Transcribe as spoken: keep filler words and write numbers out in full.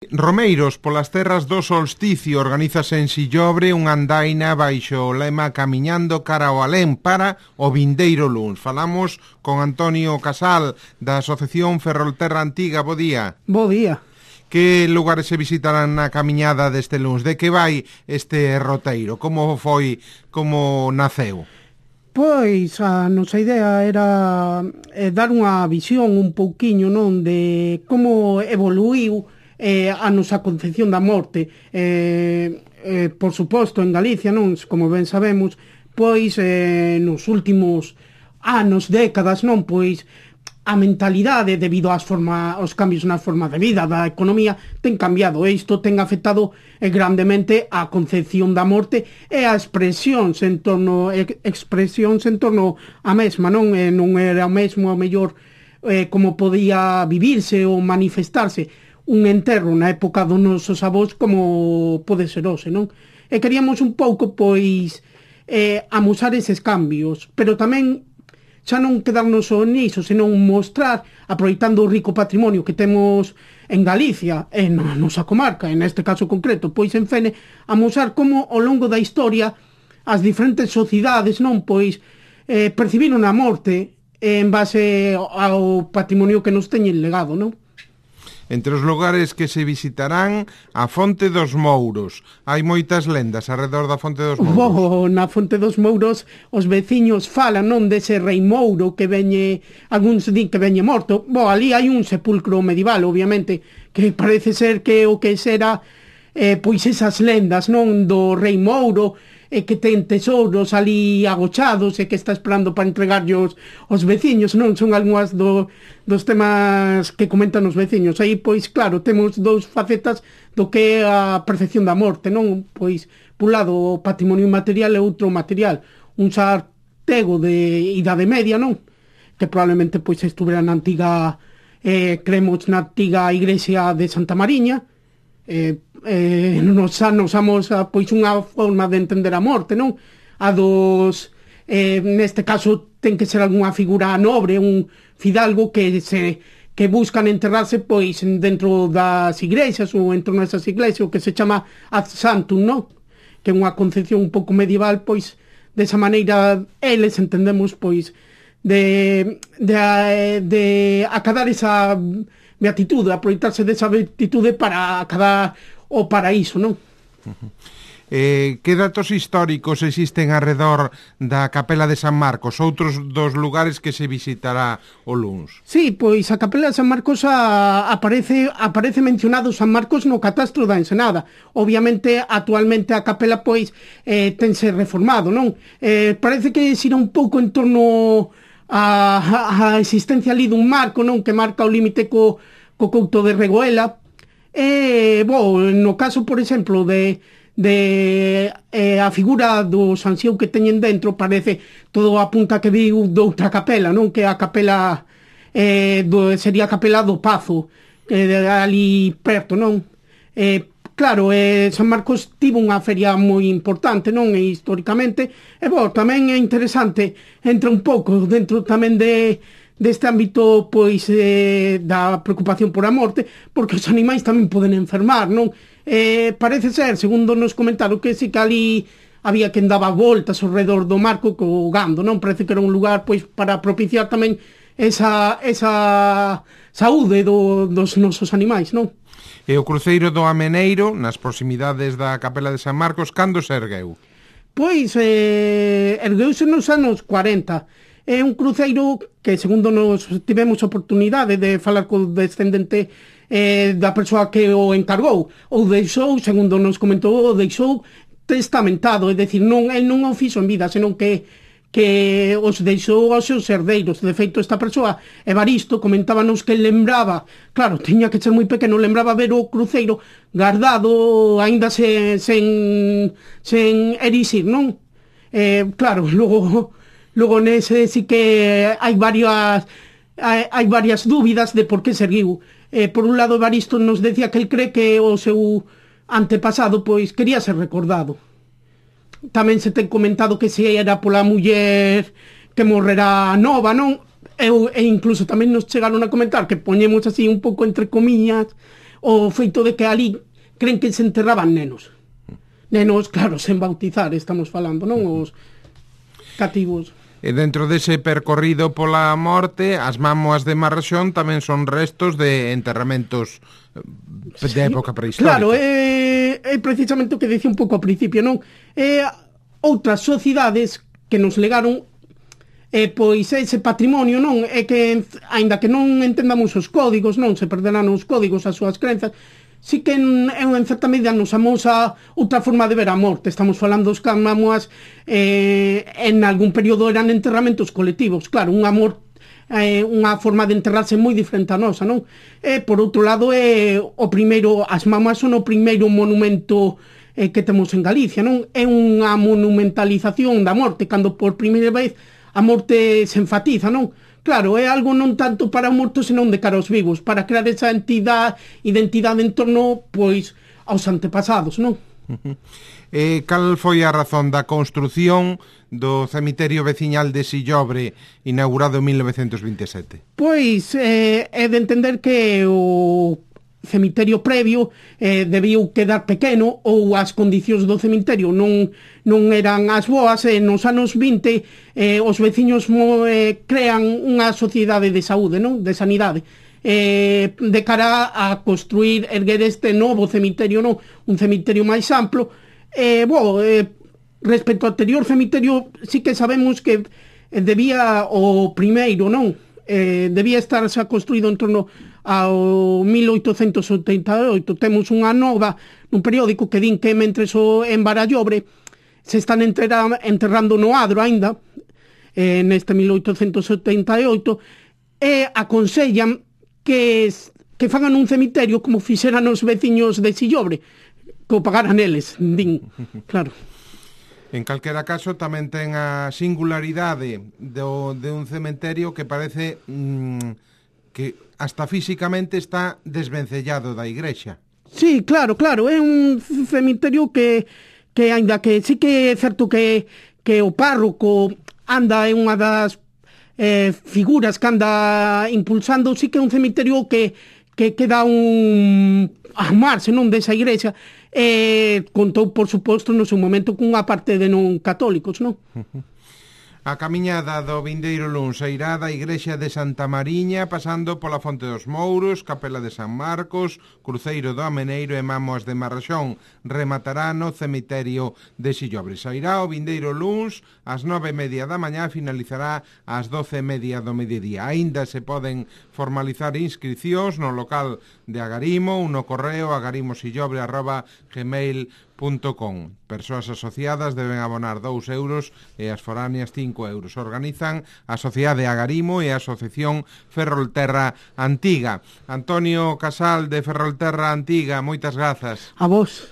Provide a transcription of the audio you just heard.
Romeiros, polas terras do solsticio, organízase en Sillobre unha andaina baixo o lema Camiñando cara ao alén para o vindeiro luns. Falamos con Antonio Casal, da Asociación Ferrolterra Antiga. Bo día. Bo día. Que lugares se visitarán na camiñada deste luns? De que vai este roteiro? Como foi, como naceu? Pois a nosa idea era eh, dar unha visión un pouquiño, non, de como evoluiu eh, a nosa concepción da morte. Eh, eh, por suposto, en Galicia, non, como ben sabemos, pois eh, nos últimos anos, décadas, non, pois a mentalidade debido ás forma, aos cambios na forma de vida da economía ten cambiado, e isto ten afectado eh, grandemente a concepción da morte e a expresións en torno eh, expresións en torno a mesma, non, eh, non era o mesmo a mellor eh, como podía vivirse ou manifestarse un enterro na época dos nosos avós como pode ser hoxe, non? E queríamos un pouco, pois, eh, amosar eses cambios, pero tamén xa non quedarnos só niso, senón mostrar, aproveitando o rico patrimonio que temos en Galicia, en a nosa comarca, en este caso concreto, pois en Fene, amosar como ao longo da historia as diferentes sociedades, non, pois, eh, percibiron a morte en base ao patrimonio que nos teñen legado, non? Entre os lugares que se visitarán, a Fonte dos Mouros. Hai moitas lendas alrededor da Fonte dos Mouros. Oh, na Fonte dos Mouros os veciños falan, non, dese rei Mouro que veñe, algúns din que veñe morto. Bo, ali hai un sepulcro medieval, obviamente, que parece ser que o que será eh, pois esas lendas, non, do rei Mouro, e que ten tesouros ali agochados e que está esperando para entregarllos aos veciños, non? Son algunhas do, dos temas que comentan os veciños. Aí, pois, claro, temos dous facetas do que é a percepción da morte, non? Pois, por un lado, o patrimonio material e outro material. Un sartego de idade media, non? Que probablemente, pois, estuvera na antiga, eh, cremos, na antiga igrexa de Santa Mariña. Eh, eh, nos anos amos a, pois unha forma de entender a morte, non? A dos eh, neste caso ten que ser algunha figura nobre, un fidalgo que se que buscan enterrarse pois dentro das igrexas ou en torno a esas iglesias, o que se chama ad santum, non? Que é unha concepción un pouco medieval, pois desa maneira eles entendemos pois de de, de, de acadar esa beatitude, aproveitarse desa beatitude para acadar o paraíso, non? Uh-huh. Eh, que datos históricos existen alrededor da Capela de San Marcos, outros dos lugares que se visitará o luns? Sí, pois a Capela de San Marcos a, aparece aparece mencionado San Marcos no catastro da Ensenada. Obviamente, actualmente a capela pois eh, tense reformado, non? Eh, parece que xira un pouco en torno a, a existencia ali dun marco, non, que marca o límite co, co couto de Regoela. E, bo, no caso, por exemplo, de, de eh, a figura do Sanxiou que teñen dentro, parece todo apunta que viu doutra capela, non, que a capela eh, do, sería a capela do Pazo, que de ali perto, non? Eh, Claro, eh, San Marcos tivo unha feria moi importante, non? E históricamente, e bo, tamén é interesante, entra un pouco dentro tamén de deste ámbito, pois, eh, da preocupación por a morte, porque os animais tamén poden enfermar, non? Eh, parece ser, segundo nos comentaron, que si que ali había quen daba voltas ao redor do marco co gando, non? Parece que era un lugar, pois, para propiciar tamén esa, esa saúde do, dos nosos animais, non? E o cruceiro do Ameneiro, nas proximidades da Capela de San Marcos, cando se ergueu? Pois, eh, ergueuse nos anos cuarenta. É un cruceiro que, segundo nos tivemos oportunidade de falar co descendente eh, da persoa que o encargou, ou deixou, segundo nos comentou, o deixou testamentado, é dicir, non, el non o fixo en vida, senón que que os deixou aos seus herdeiros. De feito, esta persoa, Evaristo, comentábanos que lembraba, claro, tiña que ser moi pequeno, lembraba ver o cruceiro guardado, aínda sen, sen, sen erixir, non? Eh, claro, logo, logo nese sí que hai varias hai, hai varias dúbidas de por que se erguiu. Eh, por un lado, Evaristo nos decía que el cree que o seu antepasado, pois, quería ser recordado. Tamén se ten comentado que se era pola muller que morrerá nova, non? E, e incluso tamén nos chegaron a comentar que poñemos así un pouco entre comillas o feito de que ali creen que se enterraban nenos. Nenos, claro, sen bautizar, estamos falando, non? Os cativos. E dentro dese percorrido pola morte, as mámoas de Marraxón tamén son restos de enterramentos de sí, época prehistórica. Claro, é, é precisamente o que dicía un pouco ao principio, non? É outras sociedades que nos legaron eh, pois ese patrimonio, non? É que, aínda que non entendamos os códigos, non? Se perderán os códigos, as súas crenzas, sí que en, en certa medida nos amosa outra forma de ver a morte. Estamos falando dos que as mámoas eh, en algún período eran enterramentos colectivos. Claro, unha morte eh, unha forma de enterrarse moi diferente a nosa, non? E, por outro lado, é o primeiro, as mámoas son o primeiro monumento eh, que temos en Galicia, non? É unha monumentalización da morte, cando por primeira vez a morte se enfatiza, non? Claro, é algo non tanto para o morto, senón de cara aos vivos, para crear esa entidade, identidade en torno, pois, aos antepasados, non? Uh-huh. Eh, cal foi a razón da construción do cemiterio veciñal de Sillobre, inaugurado en mil novecentos vinte e sete? Pois, eh, é de entender que o cemiterio previo eh, debiu quedar pequeno, ou as condicións do cemiterio non, non eran as boas, e nos anos vinte eh, os veciños mo, eh, crean unha sociedade de saúde, non? De sanidade, eh, de cara a construir, erguer este novo cemiterio, non? Un cemiterio máis amplo. Eh, bo, eh, respecto ao anterior cemiterio, sí que sabemos que eh, debía o primeiro, non? Eh, debía estar xa construído en torno ao mil oitocentos oitenta e oito. Temos unha nova nun periódico que din que mentres o en Barallobre se están enterra, enterrando no adro aínda eh, neste mil oitocentos oitenta e oito, e aconsellan que, que fagan un cemiterio como fixeran os veciños de Sillobre, que o pagaran eles, din, claro. En calquera caso, tamén ten a singularidade do, de un cementerio que parece mmm, que hasta físicamente está desvencellado da igrexa. Sí, claro, claro, é un cemiterio que, que aínda que sí que é certo que, que o párroco anda en unha das eh, figuras que anda impulsando, sí que é un cemiterio que, que queda un amarse, non, desa igrexa. Eh, contou, por suposto, no seu momento cunha parte de non católicos, non? A camiñada do vindeiro luns irá da igrexa de Santa Mariña, pasando pola Fonte dos Mouros, Capela de San Marcos, Cruceiro do Ameneiro e Mámoas de Marraxón. Rematará no cemiterio de Sillobre. Sairá o vindeiro luns ás nove e media da mañá, finalizará ás doce e media do mediodía. Aínda se poden formalizar inscricións no local de Agarimo ou no correo agarimosillobre arroba gmail punto com. Persoas asociadas deben abonar dous euros e as foráneas cinco euros. Organizan a Sociedade Agarimo e a Asociación Ferrolterra Antiga. Antonio Casal, de Ferrolterra Antiga, moitas grazas. A vos.